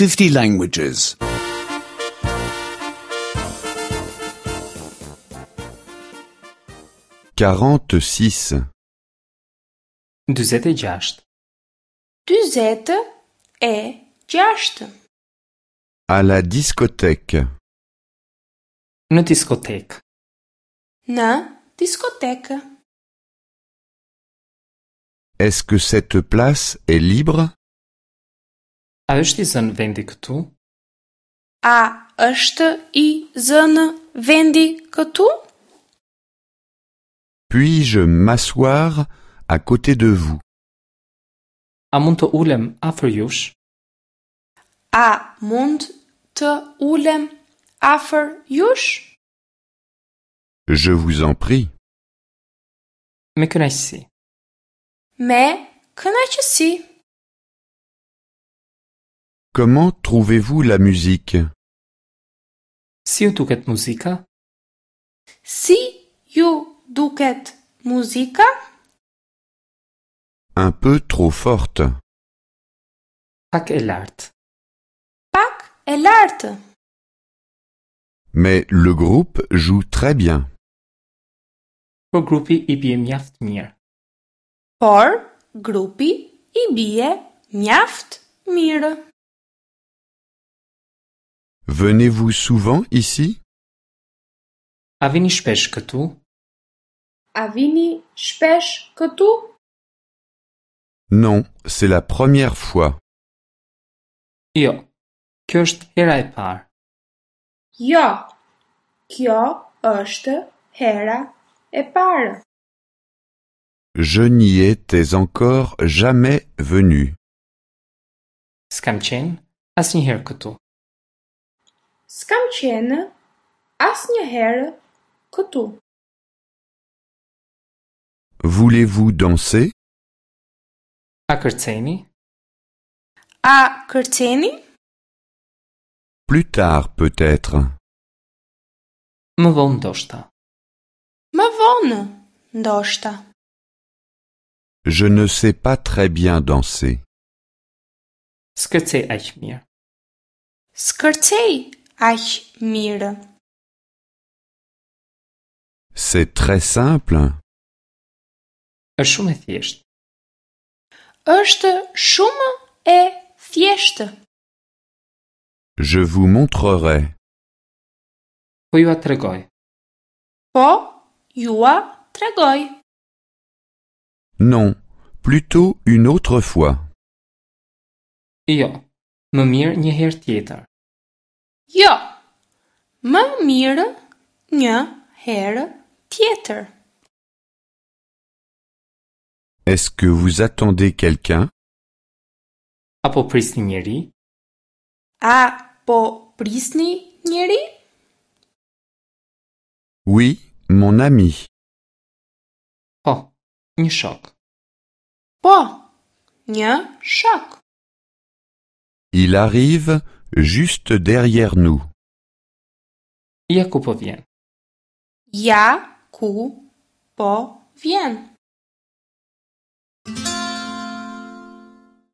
50 languages. 46. 46. 46. À la discothèque. Në diskotekë. Në diskotekë. Est-ce que cette place est libre? A është i zënë vendi këtu? A është i zënë vendi këtu? Puis-je m'asseoir à côté de vous? A mund të ulem afër jush? A mund të ulem afër jush? Je vous en prie. Me kënaqësi. Me kënaqësi. Comment trouvez-vous la musique? Si ju duket muzika? Si ju duket muzika? Un peu trop forte. Pak e lartë. Pak e lartë. Mais le groupe joue très bien. Por grupi i bie mjaft mirë. Por grupi i bie mjaft mirë. Venez-vous souvent ici? A vini shpesh këtu? A vini shpesh këtu? Non, c'est la première fois. Jo. Kjo është hera e parë. Jo. Kjo është hera e parë. Je n'y étais encore jamais venu. S'kam qenë asnjëherë këtu. S'kam qenë asnjëherë këtu. Voulez-vous danser? A kërceni? A kërceni? Plus tard peut-être. Më vonë ndoshta. Më vonë, ndoshta. Je ne sais pas très bien danser. S'kërcej aq mirë. S'kërcej aq mirë. C'est très simple. Është shumë e thjeshtë. Është shumë e thjeshtë. Je vous montrerai. Po jua tregoj. Po jua tregoj. Non, plutôt une autre fois. Jo, më mirë një herë tjetër. Jo. Më mirë një herë tjetër. Est-ce que vous attendez quelqu'un? Apo prisni njeri? A po prisni njeri? Oui, mon ami. Po, një shok. Po, një shok. Il arrive juste derrière nous. Ja ku po vjen. Ja ku po vjen.